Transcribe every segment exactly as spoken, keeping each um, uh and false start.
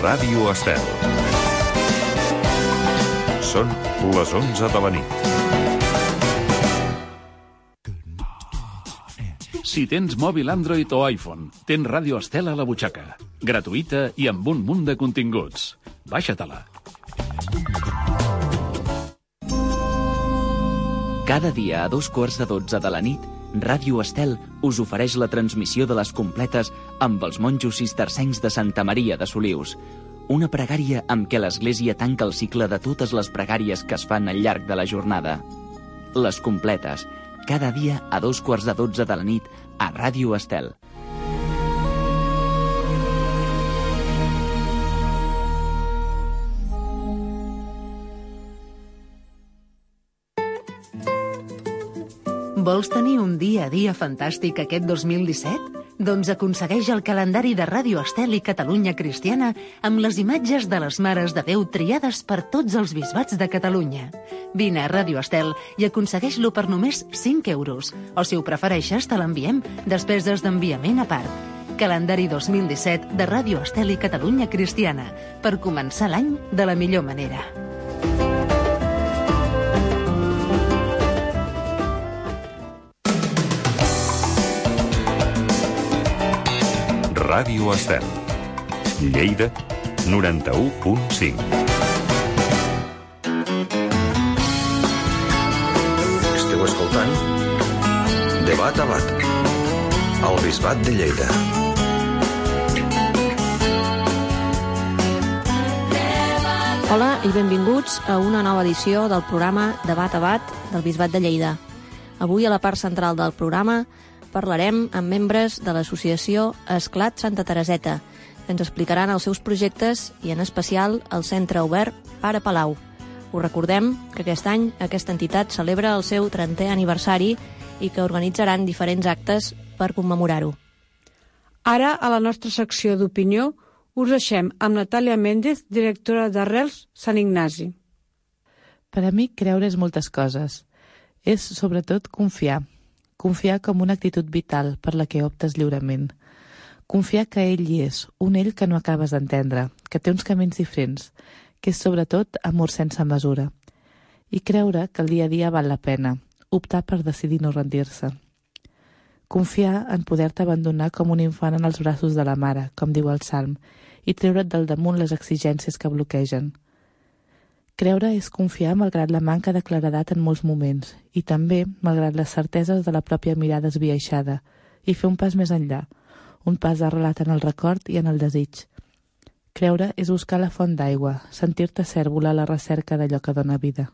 Ràdio Estel. Són les onze de la nit. Si tens mòbil Android o iPhone, tens Ràdio Estel a la butxaca. Gratuïta i amb un munt de continguts. Baixa-te-la. Cada dia a dos quarts de dotze de la nit, Ràdio Estel us ofereix la transmissió de les completes amb els monjos cistercencs de Santa Maria de Solius. Una pregària amb què l'Església tanca el cicle de totes les pregàries que es fan al llarg de la jornada. Les completes, cada dia a dos quarts de dotze de la nit a Ràdio Estel. Vols tenir un dia a dia fantàstic aquest dos mil disset? Doncs aconsegueix el calendari de Ràdio Estel i Catalunya Cristiana amb les imatges de les Mares de Déu triades per tots els bisbats de Catalunya. Vine a Ràdio Estel i aconsegueix-lo per només cinc euros. O si ho prefereixes, te l'enviem, despeses d'enviament a part. Calendari dos mil disset de Ràdio Estel i Catalunya Cristiana, per començar l'any de la millor manera. Ràdio Estel. Lleida, noranta-u punt cinc. Esteu escoltant Debat a Bat, al Bisbat de Lleida. Hola i benvinguts a una nova edició del programa Debat a Bat del Bisbat de Lleida. Avui a la part central del programa parlarem amb membres de l'associació Esclat Santa Tereseta, que ens explicaran els seus projectes i en especial el Centre Obert Pare Palau. Us recordem que aquest any aquesta entitat celebra el seu trentè aniversari i que organitzaran diferents actes per commemorar-ho. Ara, a la nostra secció d'opinió, us deixem amb Natàlia Méndez, directora d'Arrels Sant Ignasi. Per a mi, creure és moltes coses. És, sobretot, confiar. Confiar com una actitud vital per la que optes lliurement. Confiar que ell hi és, un ell que no acabes d'entendre, que té uns camins diferents, que és sobretot amor sense mesura. I creure que el dia a dia val la pena, optar per decidir no rendir-se. Confiar en poder-te abandonar com un infant en els braços de la mare, com diu el Salm, i treure't del damunt les exigències que bloquegen. Creure és confiar malgrat la manca de claredat en molts moments i també malgrat les certeses de la pròpia mirada esbiaixada i fer un pas més enllà, un pas arrelat en el record i en el desig. Creure és buscar la font d'aigua, sentir-te cèrvol a la recerca d'allò que dona vida.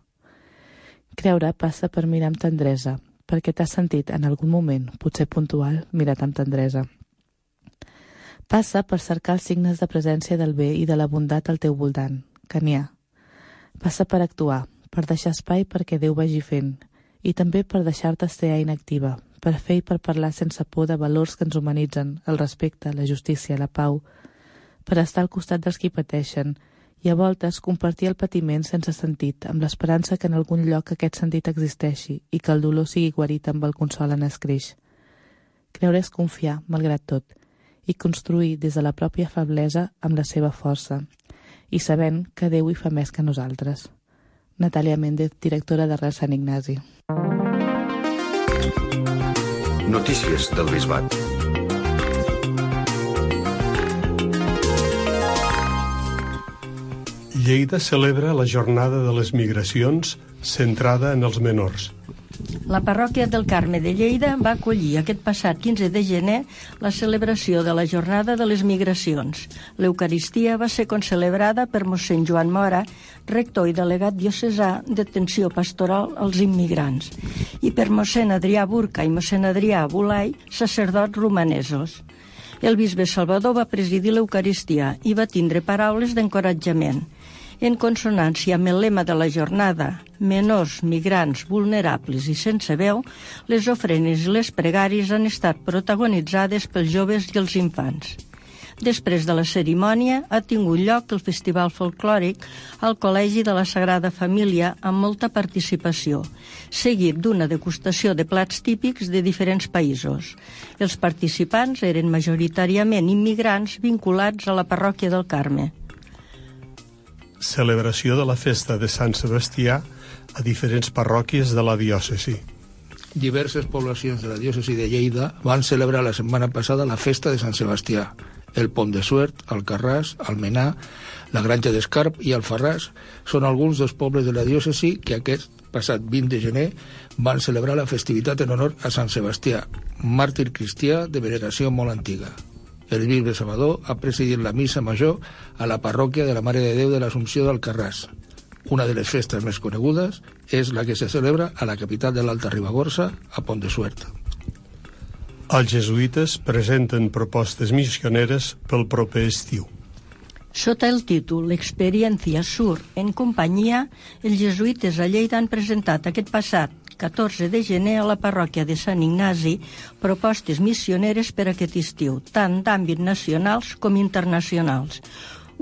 Creure passa per mirar amb tendresa, perquè t'has sentit en algun moment, potser puntual, mirat amb tendresa. Passa per cercar els signes de presència del bé i de la bondat al teu voltant, que n'hi ha. Passa per actuar, per deixar espai perquè Déu vagi fent, i també per deixar-te ser inactiva, per fer i per parlar sense por de valors que ens humanitzen, el respecte, la justícia, la pau, per estar al costat dels qui pateixen, i a voltes compartir el patiment sense sentit, amb l'esperança que en algun lloc aquest sentit existeixi i que el dolor sigui guarit amb el consol en escreix. Creure és confiar, malgrat tot, i construir des de la pròpia feblesa amb la seva força, i sabent que Déu hi fa més que nosaltres. Natàlia Méndez, directora d'Arrels Sant Ignasi. Notícies del Bisbat. Lleida celebra la Jornada de les Migracions centrada en els menors. La parròquia del Carme de Lleida va acollir aquest passat quinze de gener la celebració de la Jornada de les Migracions. L'Eucaristia va ser concelebrada per mossèn Joan Mora, rector i delegat diocesà d'atenció pastoral als immigrants, i per mossèn Adrià Burca i mossèn Adrià Bulai, sacerdots romanesos. El bisbe Salvador va presidir l'Eucaristia i va tindre paraules d'encoratjament. En consonància amb el lema de la jornada, menors, migrants, vulnerables i sense veu, les ofrenes i les pregàries han estat protagonitzades pels joves i els infants. Després de la cerimònia ha tingut lloc el Festival Folclòric al Col·legi de la Sagrada Família amb molta participació, seguit d'una degustació de plats típics de diferents països. Els participants eren majoritàriament immigrants vinculats a la parròquia del Carme. celebració de la festa de Sant Sebastià a diferents parròquies de la diòcesi. Diverses poblacions de la diòcesi de Lleida van celebrar la setmana passada la festa de Sant Sebastià. El Pont de Suert, Alcarràs, Almenar, la Granja d'Escarp i Alfarràs són alguns dels pobles de la diòcesi que aquest passat vint de gener van celebrar la festivitat en honor a Sant Sebastià, màrtir cristià de veneració molt antiga. El bisbe Salvador ha presidit la missa major a la parròquia de la Mare de Déu de l'Assumpció d'Alcarràs. Una de les festes més conegudes és la que se celebra a la capital de l'Alta Ribagorça, a Pont de Suert. Els jesuïtes presenten propostes missioneres pel proper estiu. Sota el títol L'experiencia Sur en companyia, els jesuïtes a Lleida han presentat aquest passat catorze de gener a la parròquia de Sant Ignasi propostes missioneres per aquest estiu, tant d'àmbit nacionals com internacionals.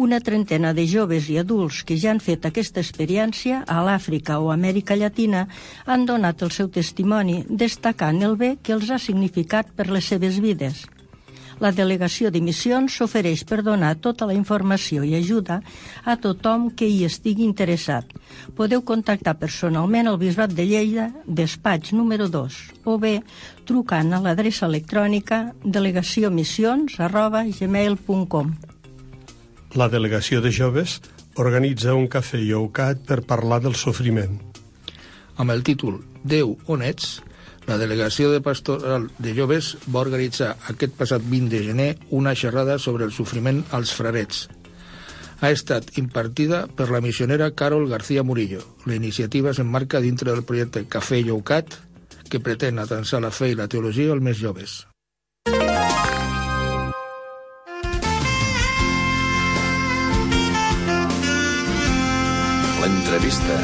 Una trentena de joves i adults que ja han fet aquesta experiència a l'Àfrica o Amèrica Llatina han donat el seu testimoni, destacant el bé que els ha significat per les seves vides. La delegació de missions s'ofereix per donar tota la informació i ajuda a tothom que hi estigui interessat. Podeu contactar personalment al Bisbat de Lleida, despatx número dos, o bé trucant a l'adreça electrònica delegacionmissions arroba gmail punt com. La delegació de joves organitza un cafè lloucat per parlar del sofriment. Amb el títol Déu, on ets?, la delegació de pastoral de joves va organitzar aquest passat vint de gener una xerrada sobre el sofriment als frarets. Ha estat impartida per la missionera Carol García Murillo. La iniciativa s'emmarca dintre del projecte Cafè Lloucat, que pretén atansar la fe i la teologia als més joves. L'entrevista.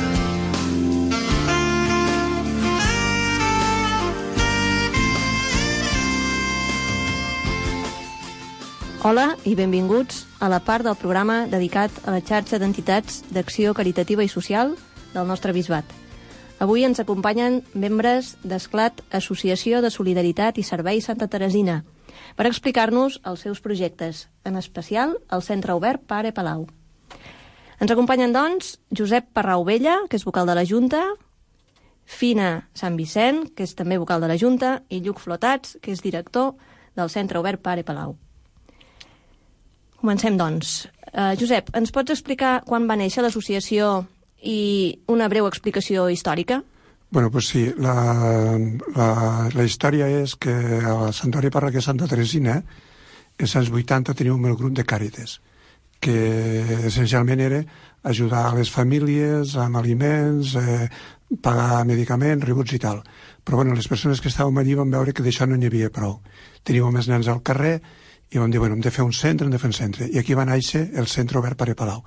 Hola i benvinguts a la part del programa dedicat a la xarxa d'entitats d'acció caritativa i social del nostre bisbat. Avui ens acompanyen membres d'Esclat, Associació de Solidaritat i Servei Santa Teresina, per explicar-nos els seus projectes, en especial el Centre Obert Pare Palau. Ens acompanyen, doncs, Josep Parrauvella, que és vocal de la Junta, Fina Sant Vicent, que és també vocal de la Junta, i Lluc Flotats, que és director del Centre Obert Pare Palau. Comencem, doncs. Uh, Josep, ens pots explicar quan va néixer l'associació i una breu explicació històrica? Bueno, pues sí, la, la, la història és que a la Santuari Parròquia Santa Teresina, als anys vuitanta, teníem el grup de Càritas, que essencialment era ajudar a les famílies amb aliments, eh, pagar medicaments, rebuts i tal. Però bueno, les persones que estàvem allí van veure que d'això no n'hi havia prou. Teníem més nens al carrer i vam dir, bueno, hem de fer un centre, hem de fer un centre. I aquí va néixer el Centre Obert Pare Palau.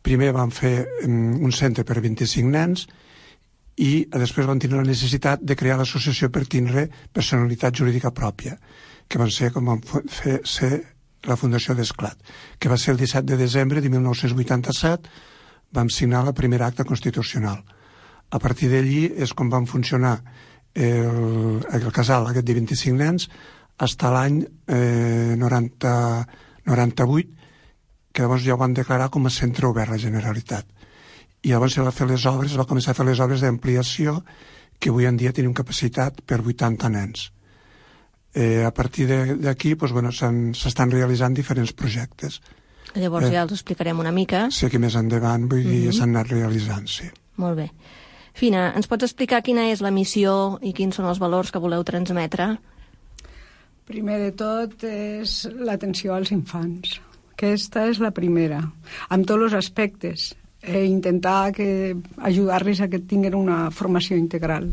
Primer vam fer um, un centre per vint-i-cinc nens i després van tenir la necessitat de crear l'associació per tindre personalitat jurídica pròpia, que van ser com van fer ser la Fundació d'Esclat, que va ser el disset de desembre de mil nou-cents vuitanta-set, vam signar la primera acta constitucional. A partir d'allí és com van funcionar el, el casal aquest de vint-i-cinc nens fins a l'any eh, noranta, noranta-vuit, que llavors ja ho van declarar com a centre obert a la Generalitat. I llavors se va fer les obres, va començar a fer les obres d'ampliació, que avui en dia tenim capacitat per vuitanta nens. Eh, a partir d'aquí doncs, bueno, s'estan realitzant diferents projectes. Llavors eh, ja els explicarem una mica. Sí, que més endavant, vull dir, mm-hmm. s'han anat realitzant, sí. Molt bé. Fina, ens pots explicar quina és la missió i quins són els valors que voleu transmetre? Primer de tot és l'atenció als infants. Aquesta és la primera, amb tots els aspectes. E intentar que, ajudar-los a que tinguin una formació integral.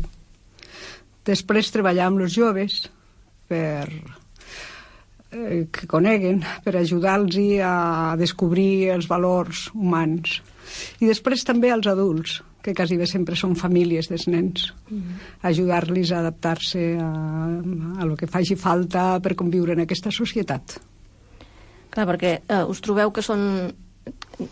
Després treballar amb els joves per eh, que coneguen, per ajudar-los a descobrir els valors humans. I després també als adults, que quasi bé sempre són famílies dels nens, mm-hmm. ajudar-los a adaptar-se a, a lo que faci falta per conviure en aquesta societat. Clar, perquè eh, us trobeu que són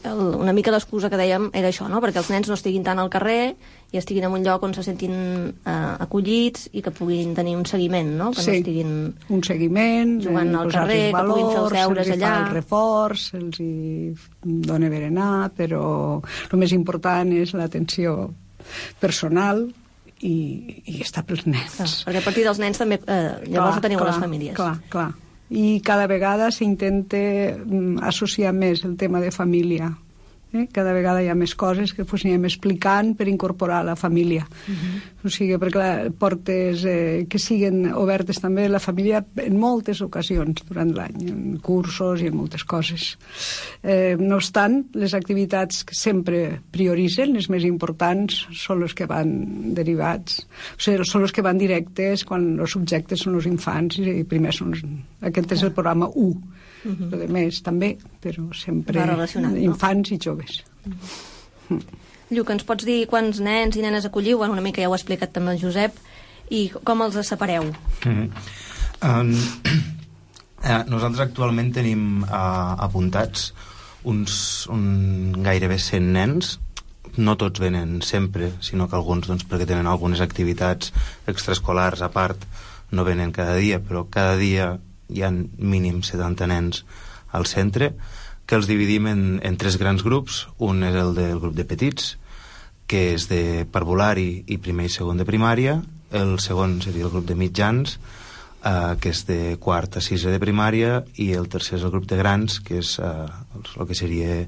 el, una mica l'excusa que dèiem era això, no? Perquè els nens no estiguin tant al carrer i estiguin en un lloc on se sentin eh, acollits i que puguin tenir un seguiment, no? Que sí, no estiguin un seguiment, jugant al carrer, valors, que puguin fer els deures allà. Se'ls fa el reforç, se'ls hi dona berenar, però el més important és l'atenció personal i, i estar pels nens. Ah, perquè a partir dels nens també eh, llavors clar, teniu clar, les famílies. Clar, clar. I cada vegada s'intenta associar més el tema de família. Eh? Cada vegada hi ha més coses que pues, anem explicant per incorporar la família. Uh-huh. O sigui, perquè la, portes eh, que siguin obertes també la família en moltes ocasions durant l'any, en cursos i en moltes coses. Eh, no obstant, les activitats que sempre prioritzen, les més importants, són les que van derivats, o sigui, són les que van directes quan els subjectes són els infants i primer són... Aquest és el programa u. Uh-huh. Lo de més també, però sempre infants no? I joves. Uh-huh. Lluc, ens pots dir quants nens i nenes acolliu? Bueno, una mica ja ho ha explicat també el Josep. I com els separeu? Uh-huh. um, eh, nosaltres actualment tenim uh, apuntats uns un, gairebé cent nens. No tots venen sempre, sinó que alguns, doncs, perquè tenen algunes activitats extraescolars a part, no venen cada dia, però cada dia hi ha mínim setanta nens al centre, que els dividim en, en tres grans grups. Un és el del grup de petits, que és de parvulari i primer i segon de primària. El segon seria el grup de mitjans, eh, que és de quart a sisè de primària, i el tercer és el grup de grans, que és eh, el que seria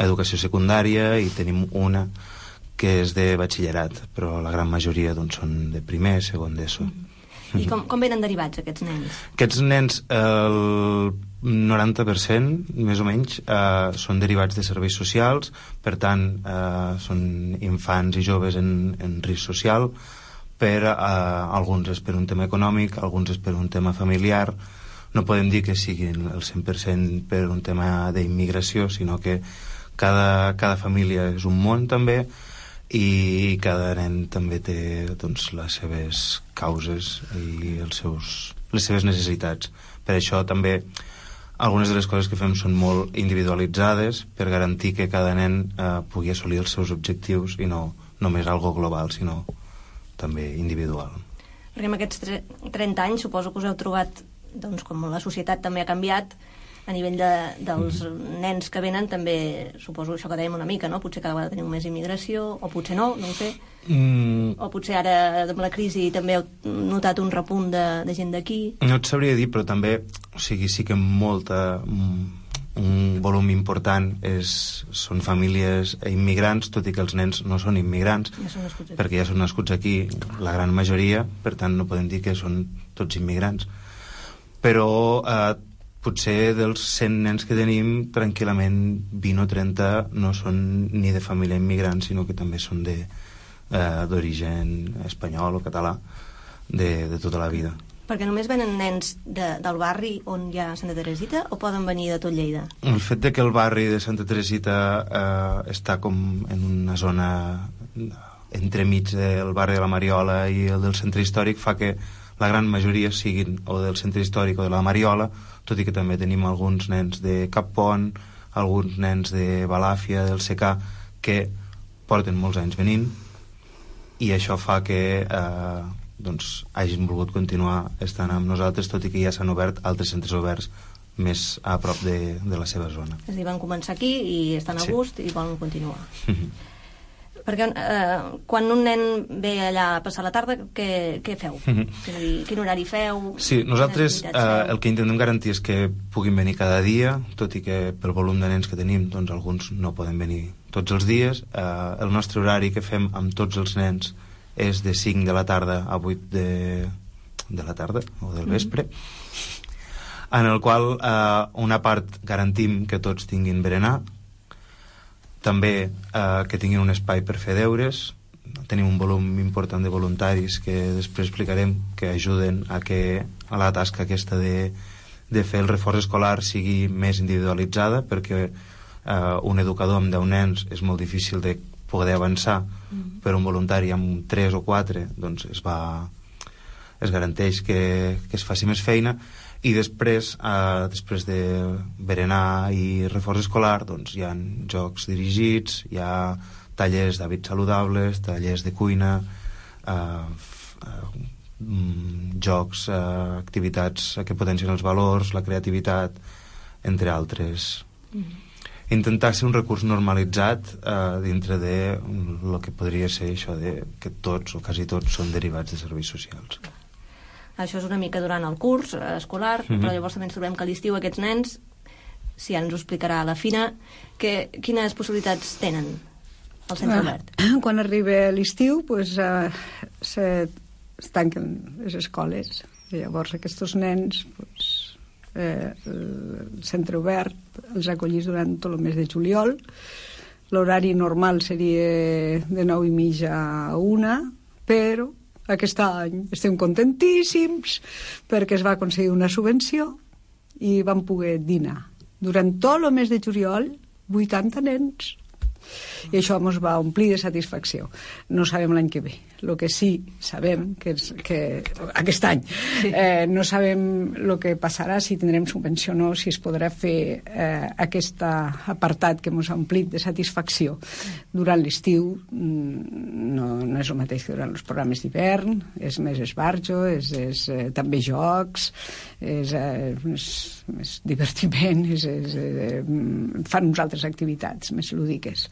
educació secundària, i tenim una que és de batxillerat, però la gran majoria doncs, són de primer, segon d'ESO. Mm. I com, com venen derivats aquests nens? Aquests nens, el noranta per cent, més o menys, eh, són derivats de serveis socials, per tant, eh, són infants i joves en, en risc social, per eh, alguns és per un tema econòmic, alguns és per un tema familiar. No podem dir que siguin el cent per cent per un tema d'immigració, sinó que cada, cada família és un món també, i cada nen també té doncs, les seves causes i els seus, les seves necessitats. Per això també algunes de les coses que fem són molt individualitzades per garantir que cada nen eh, pugui assolir els seus objectius i no només algo global, sinó també individual. Perquè en aquests trenta anys suposo que us heu trobat, doncs, com la societat també ha canviat, a nivell de, dels mm. nens que venen també, suposo això que dèiem una mica, no? Potser cada vegada tenim més immigració, o potser no, no ho sé. Mm. O potser ara, amb la crisi, també heu notat un repunt de, de gent d'aquí. No et sabria dir, però també, o sigui, sí que molta, un volum important és, són famílies immigrants, tot i que els nens no són immigrants, ja són nascuts aquí. Perquè ja són nascuts aquí, la gran majoria, per tant no podem dir que són tots immigrants. Però... Eh, potser dels cent nens que tenim, tranquil·lament vint o trenta no són ni de família immigrant, sinó que també són de, eh, d'origen espanyol o català, de, de tota la vida. Perquè només venen nens de, del barri on hi ha Santa Teresita, o poden venir de tot Lleida? El fet de que el barri de Santa Teresita eh, està com en una zona entremig del barri de la Mariola i el del centre històric fa que la gran majoria siguin o del centre històric o de la Mariola, tot i que també tenim alguns nens de Cappont, alguns nens de Balàfia, del Secà, que porten molts anys venint, i això fa que eh, doncs, hagin volgut continuar estant amb nosaltres, tot i que ja s'han obert altres centres oberts més a prop de, de la seva zona. És a dir, van començar aquí i estan a sí. gust i volen continuar. Perquè eh, quan un nen ve allà a passar la tarda, què, què feu? Mm-hmm. És a dir, quin horari feu? Sí, nosaltres eh, el que intentem garantir és que puguin venir cada dia, tot i que pel volum de nens que tenim, doncs alguns no poden venir tots els dies. Eh, el nostre horari que fem amb tots els nens és de cinc de la tarda a vuit de, de la tarda, o del vespre, mm-hmm. en el qual eh, una part garantim que tots tinguin berenar, també eh, que tinguin un espai per fer deures. Tenim un volum important de voluntaris que després explicarem, que ajuden a que a la tasca aquesta de, de fer el reforç escolar sigui més individualitzada, perquè eh, un educador amb deu nens és molt difícil de poder avançar, mm-hmm. però un voluntari amb tres o quatre doncs es va es garanteix que, que es faci més feina. I després, eh, després de berenar i reforç escolar, doncs hi ha jocs dirigits, hi ha tallers d'hàbits saludables, tallers de cuina, eh, eh, jocs, eh, activitats que potencien els valors, la creativitat, entre altres. Mm. Intentar ser un recurs normalitzat eh, dintre de el que podria ser això de que tots o quasi tots són derivats de serveis socials. Això és una mica durant el curs escolar, mm-hmm. però llavors també ens trobem que a l'estiu aquests nens, si ara ens ho explicarà la Fina, que, quines possibilitats tenen al centre ah, obert? Quan arriba l'estiu, pues, uh, se, es tanquen les escoles, i llavors aquests nens, pues, eh, el centre obert els acollís durant tot el mes de juliol. L'horari normal seria de nou i mitja a una, però aquest any estem contentíssims perquè es va aconseguir una subvenció i vam poder dinar. Durant tot el mes de juliol, vuitanta nens. I això ens va omplir de satisfacció. No sabem l'any que ve. El que sí sabem, que, és, que aquest any, eh, no sabem el que passarà, si tindrem subvenció o no, si es podrà fer eh, aquest apartat que ens ha omplit de satisfacció durant l'estiu. No, no és el mateix que durant els programes d'hivern, és més esbarjo, és, és eh, també jocs, és, eh, és més divertiment, és, és, eh, fan uns altres activitats més lúdiques.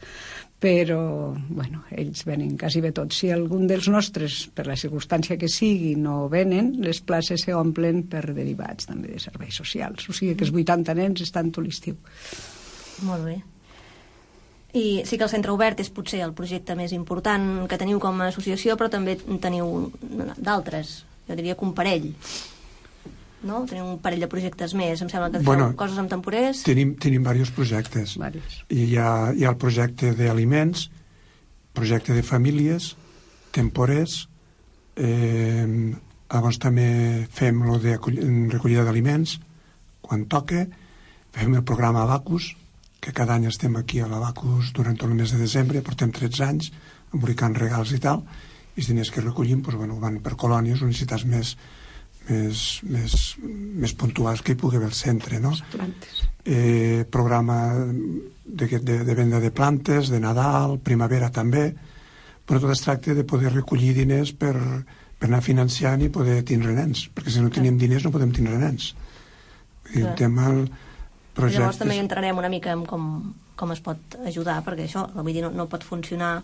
Però, bueno, ells venen quasi bé tots. Si algun dels nostres, per la circumstància que sigui, no venen, les places s'omplen per derivats també de serveis socials. O sigui que els vuitanta nens estan tot l'estiu. Molt bé. I sí que el centre obert és potser el projecte més important que teniu com a associació, però també teniu d'altres, jo diria que un parell. No? Tenim un parell de projectes més, em sembla que bueno, feu coses amb temporers. Tenim, tenim diversos projectes. Varios. I hi ha, hi ha el projecte d'aliments, projecte de famílies, temporers, eh, llavors també fem lo de recollida d'aliments, quan toca, fem el programa Abacus, que cada any estem aquí a l'Abacus durant tot el mes de desembre, portem tretze anys, emboricant regals i tal, i els diners que recollim doncs, bueno, van per colònies o necessitats més Més, més, més puntuals que hi pugui haver al centre, no? Eh, programa de, de, de venda de plantes, de Nadal, primavera també, però tot es tracta de poder recollir diners per, per anar financiant i poder tindre nens, perquè si no tenim diners no podem tindre nens. I el tema el projecte... Llavors també entrarem una mica en com, com es pot ajudar, perquè això, vull dir, no, no pot funcionar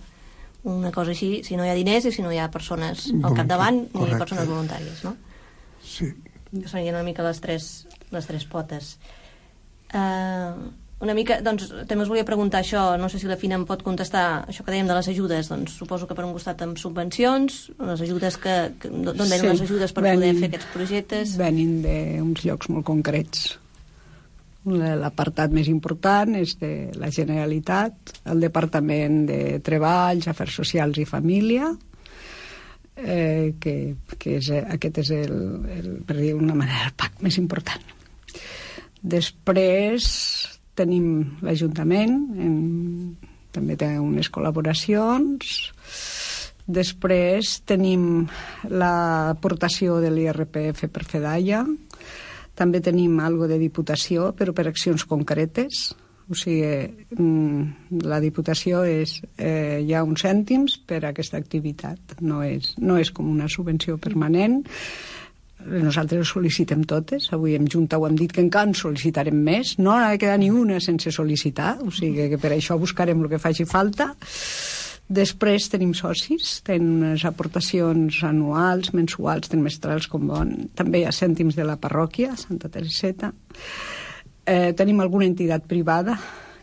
una cosa així si no hi ha diners i si no hi ha persones al capdavant ni persones voluntàries, no? Sí. Que serien una mica les tres, les tres potes. Uh, una mica, doncs, també us volia preguntar això, no sé si la Fina em pot contestar això que dèiem de les ajudes, doncs suposo que per un costat amb subvencions, les ajudes que, que d'on venen sí, les ajudes per venin, poder fer aquests projectes? Venin d'uns llocs molt concrets. L'apartat més important és de la Generalitat, el Departament de Treballs, Afers Socials i Família, Eh, que, que és, aquest és el, el, per dir d'una manera, el P A C més important. Després tenim l'Ajuntament, en, també té unes col·laboracions. Després tenim l'aportació de l'I R P F per Fedaia. També tenim algo de Diputació, però per accions concretes. O sigui, la Diputació és, eh, hi ha uns cèntims per a aquesta activitat, no és, no és com una subvenció permanent. Nosaltres sol·licitem totes, avui en Junta ho hem dit que encara en sol·licitarem més, no ha de quedar ni una sense sol·licitar, o sigui que per això buscarem el que faci falta. Després tenim socis, tenen unes aportacions anuals, mensuals, trimestrals, com bon. També hi ha cèntims de la parròquia, Santa Tereseta. Eh, tenim alguna entitat privada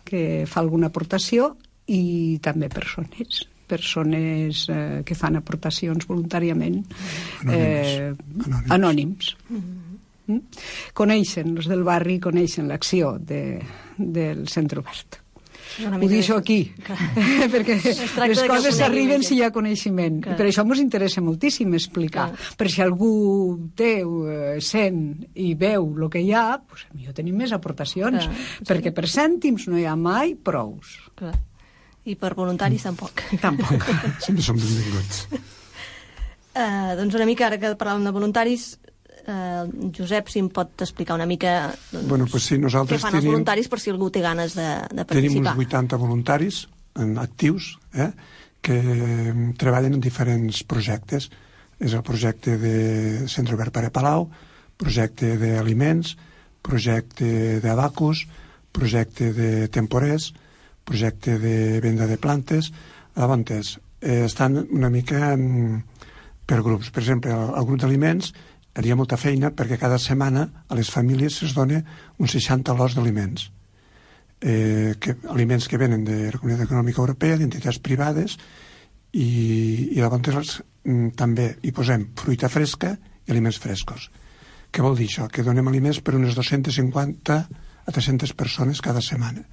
que fa alguna aportació i també persones persones eh, que fan aportacions voluntàriament eh, anònims, anònims. Mm-hmm. Coneixen, els del barri coneixen l'acció de, del centre obert. Ho deixo aquí, perquè les coses s'arriben si hi ha coneixement. Clar. I per això ens interessa moltíssim explicar. Clar. Per si algú té, sent i veu el que hi ha, doncs millor tenim més aportacions. Clar. Perquè per cèntims no hi ha mai prous. Clar. I per voluntaris tampoc. Tampoc. Sempre som benvinguts. Uh, doncs una mica, ara que parlàvem de voluntaris, Uh, Josep, si em pot explicar una mica doncs, bueno, pues sí, nosaltres què fan tenim, els voluntaris per si algú té ganes de, de participar. Tenim uns vuitanta voluntaris en actius eh, que treballen en diferents projectes. És el projecte de Centre Obert Pare Palau, projecte d'aliments, projecte d'abacus, projecte de temporers, projecte de venda de plantes. Llavors, eh, estan una mica en, per grups. Per exemple, el, el grup d'aliments hi ha molta feina perquè cada setmana a les famílies es dona uns seixanta lots d'aliments. Eh, que, aliments que venen de la Comunitat Econòmica Europea, d'entitats privades, i, i llavors també hi posem fruita fresca i aliments frescos. Què vol dir això? Que donem aliments per unes dues-centes cinquanta a tres-centes persones cada setmana.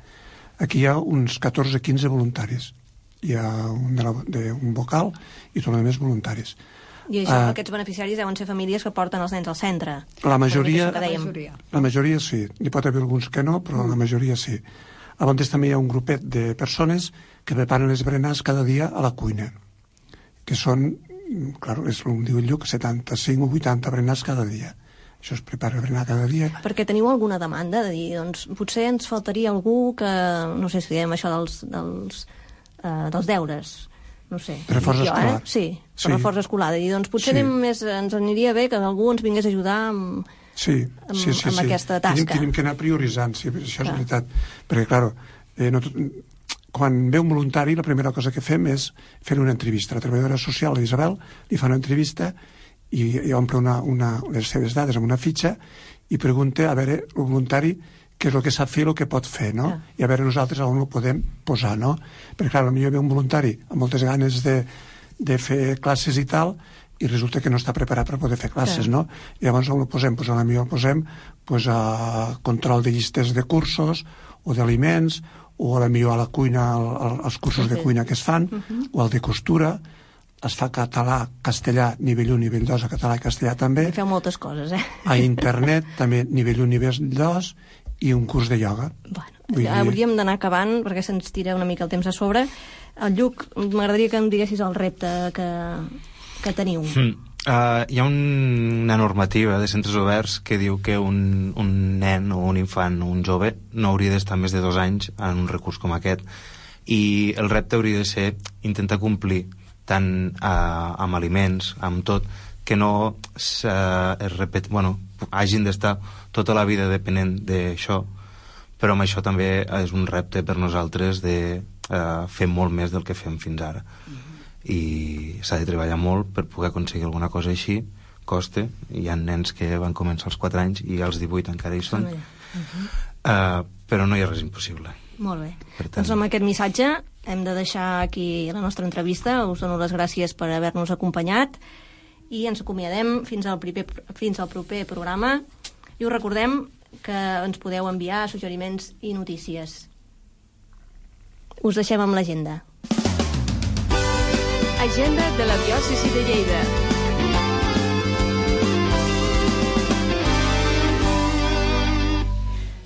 Aquí hi ha uns catorze a quinze voluntaris. Hi ha un, de la, de, un vocal i tot el més voluntaris. I això, uh, aquests beneficiaris deuen ser famílies que porten els nens al centre. La majoria, la majoria. la majoria sí. Hi pot haver alguns que no, però mm. la majoria sí. Llavors també hi ha un grupet de persones que preparen les berenars cada dia a la cuina, que són, clar, és com diu el Lluc, setanta-cinc o vuitanta berenars cada dia. Això es prepara a berenar cada dia. Perquè teniu alguna demanda de dir, doncs, potser ens faltaria algú que, no sé si diem això dels, dels, uh, dels deures, no sé. Reforç escolar. Eh? Sí, per sí. reforç escolar. I doncs potser sí. més, ens aniria bé que algú ens vingués a ajudar amb, sí, amb, sí, sí, amb sí. aquesta tasca. Tenim, tenim que anar prioritzant, sí, això clar. És veritat. Perquè, clar, eh, no tot, quan ve un voluntari, la primera cosa que fem és fer una entrevista. La treballadora social, l'Isabel, li fa una entrevista i, i omple una, una, les seves dades amb una fitxa i pregunta a veure el voluntari què és el que sap fer i el que pot fer, no? Ah. I a veure nosaltres on ho podem posar, no? Perquè, clar, potser ve un voluntari amb moltes ganes de, de fer classes i tal, i resulta que no està preparat per poder fer classes, ah. no? I llavors on ho posem? Pues potser el posem pues, a control de llistes de cursos o d'aliments, o potser a la cuina, als cursos sí, sí. de cuina que es fan, uh -huh. o al de costura. Es fa català, castellà, nivell u, nivell dos, a català i castellà també. I feu moltes coses, eh? A internet, també nivell u, nivell dos, i un curs de ioga. Bueno, ja hauríem d'anar acabant, perquè se'ns tira una mica el temps a sobre. El Lluc, m'agradaria que em diguessis el repte que, que teniu. Mm. Uh, hi ha un, una normativa de centres oberts que diu que un, un nen o un infant o un jove no hauria d'estar més de dos anys en un recurs com aquest. I el repte hauria de ser intentar complir tant uh, amb aliments, amb tot, que no es repet... bueno, hagin d'estar tota la vida depenent d'això, però amb això també és un repte per nosaltres de uh, fer molt més del que fem fins ara. Mm-hmm. I s'ha de treballar molt per poder aconseguir alguna cosa així, costa. Hi ha nens que van començar als quatre anys i als divuit encara hi són. Mm-hmm. uh, però no hi ha res impossible. Molt bé. Tant... Doncs amb aquest missatge hem de deixar aquí la nostra entrevista. Us dono les gràcies per haver-nos acompanyat i ens acomiadem fins al, primer, fins al proper programa i us recordem que ens podeu enviar suggeriments i notícies. Us deixem amb l'agenda. Agenda de la diòcesi de Lleida.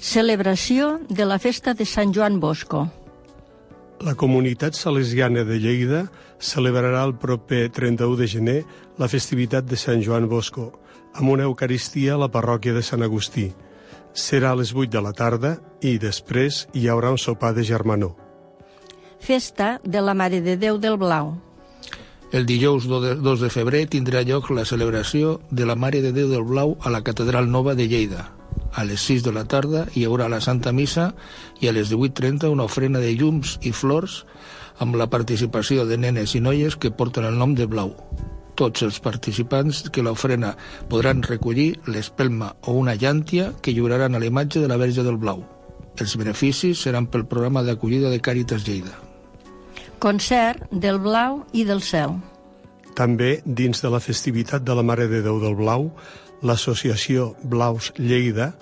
Celebració de la festa de Sant Joan Bosco. La comunitat salesiana de Lleida celebrarà el proper trenta-u de gener la festivitat de Sant Joan Bosco, amb una eucaristia a la parròquia de Sant Agustí. Serà a les vuit de la tarda i després hi haurà un sopar de germanor. Festa de la Mare de Déu del Blau. El dijous dos de febrer tindrà lloc la celebració de la Mare de Déu del Blau a la Catedral Nova de Lleida. A les sis de la tarda hi haurà la Santa Missa i a les divuit trenta una ofrena de llums i flors amb la participació de nenes i noies que porten el nom de Blau. Tots els participants que l'ofrena podran recollir l'espelma o una llàntia que lliuraran a la imatge de la Verge del Blau. Els beneficis seran pel programa d'acollida de Càritas Lleida. Concert del Blau i del Cel. També, dins de la festivitat de la Mare de Déu del Blau, l'associació Blaus Lleida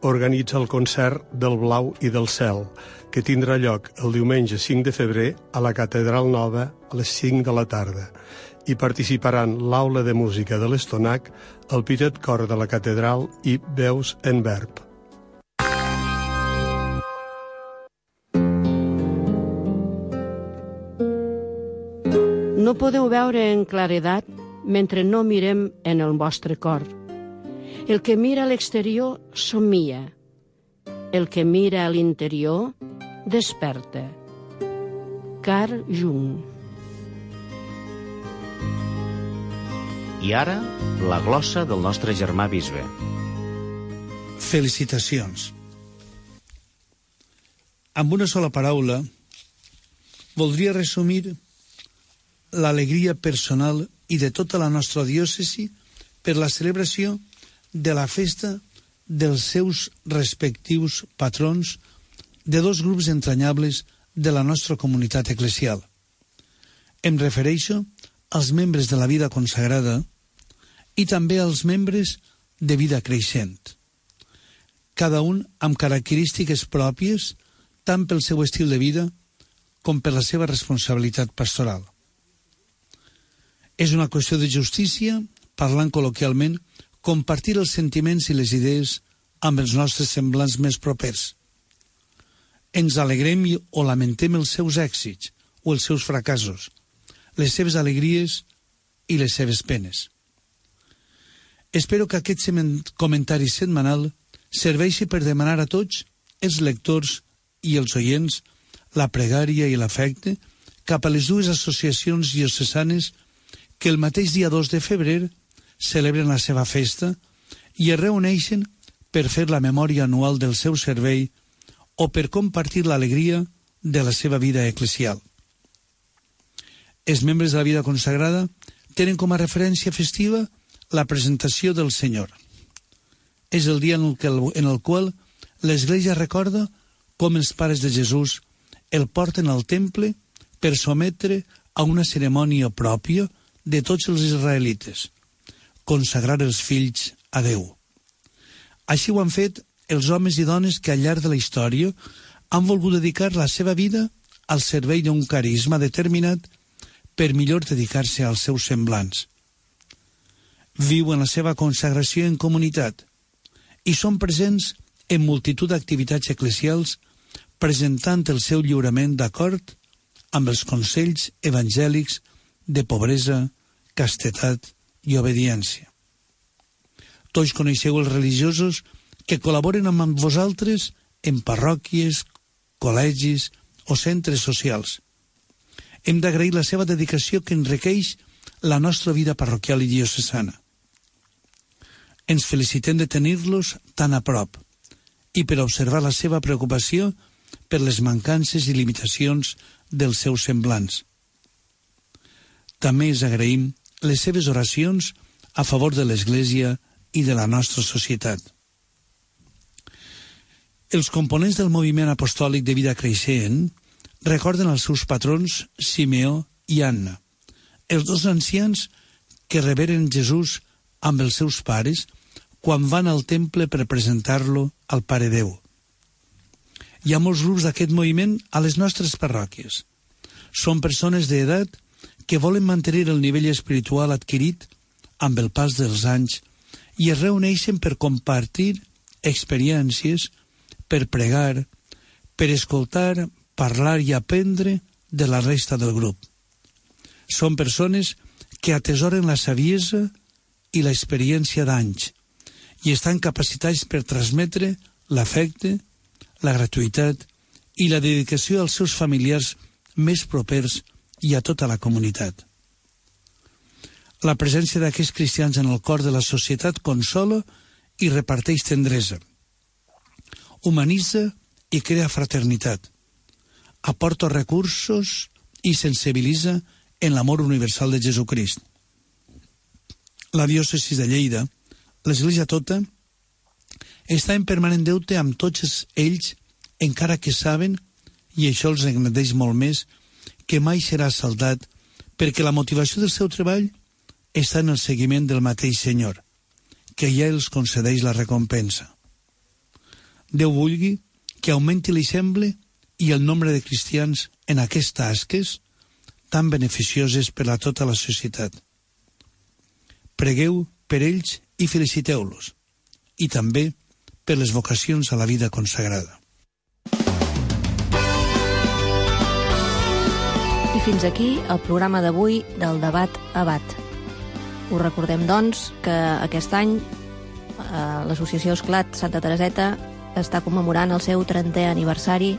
organitza el concert del Blau i del Cel, que tindrà lloc el diumenge cinc de febrer a la Catedral Nova a les cinc de la tarda. Hi participaran l'Aula de Música de l'Estonac, el Petit Cor de la Catedral i Veus en Verb. No podeu veure en claredat mentre no mirem en el vostre cor. El que mira a l'exterior somia. El que mira a l'interior desperta. Carl Jung. I ara, la glossa del nostre germà bisbe. Felicitacions. Amb una sola paraula, voldria resumir l'alegria personal i de tota la nostra diòcesi per la celebració de la festa dels seus respectius patrons de dos grups entranyables de la nostra comunitat eclesial. Em refereixo als membres de la vida consagrada i també als membres de vida creixent, cada un amb característiques pròpies tant pel seu estil de vida com per la seva responsabilitat pastoral. És una qüestió de justícia, parlant col·loquialment, compartir els sentiments i les idees amb els nostres semblants més propers. Ens alegrem o lamentem els seus èxits o els seus fracassos, les seves alegries i les seves penes. Espero que aquest comentari setmanal serveixi per demanar a tots els lectors i els oients la pregària i l'afecte cap a les dues associacions diocesanes que el mateix dia dos de febrer celebren la seva festa i es reuneixen per fer la memòria anual del seu servei o per compartir l'alegria de la seva vida eclesial. Els membres de la vida consagrada tenen com a referència festiva la presentació del Senyor. És el dia en el, que, en el qual l'Església recorda com els pares de Jesús el porten al temple per sometre a una cerimònia pròpia de tots els israelites, consagrar els fills a Déu. Així ho han fet els homes i dones que al llarg de la història han volgut dedicar la seva vida al servei d'un carisma determinat per millor dedicar-se als seus semblants. Viuen la seva consagració en comunitat i són presents en multitud d'activitats eclesials presentant el seu lliurament d'acord amb els consells evangèlics de pobresa, castetat i obediència. Tots coneixeu els religiosos que col·laboren amb vosaltres en parròquies, col·legis o centres socials. Hem d'agrair la seva dedicació que enriqueix la nostra vida parroquial i diocesana. Ens felicitem de tenir-los tan a prop i per observar la seva preocupació per les mancances i limitacions dels seus semblants. També els agraïm les seves oracions a favor de l'Església i de la nostra societat. Els components del moviment apostòlic de vida creixent recorden els seus patrons Simeó i Anna, els dos ancians que reberen Jesús amb els seus pares quan van al temple per presentar-lo al Pare Déu. Hi ha molts grups d'aquest moviment a les nostres parròquies. Són persones d'edat que volen mantenir el nivell espiritual adquirit amb el pas dels anys i es reuneixen per compartir experiències, per pregar, per escoltar, parlar i aprendre de la resta del grup. Són persones que atesoren la saviesa i l'experiència d'anys i estan capacitats per transmetre l'afecte, la gratuïtat i la dedicació als seus familiars més propers i a tota la comunitat. La presència d'aquests cristians en el cor de la societat consola i reparteix tendresa, humanitza i crea fraternitat, aporta recursos i sensibilitza en l'amor universal de Jesucrist. La diòcesi de Lleida, l'Església tota, està en permanent deute amb tots ells, encara que saben, i això els engrandeix molt més, que mai serà saldat, perquè la motivació del seu treball està en el seguiment del mateix Senyor, que ja els concedeix la recompensa. Déu vulgui que augmenti l'eixample i el nombre de cristians en aquestes tasques tan beneficioses per a tota la societat. Pregueu per ells i feliciteu-los, i també per les vocacions a la vida consagrada. I fins aquí el programa d'avui del Debat Abat. Us recordem, doncs, que aquest any l'associació Esclat Santa Tereseta està commemorant el seu trentè aniversari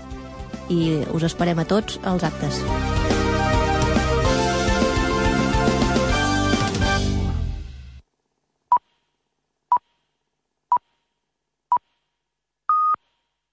i us esperem a tots als actes.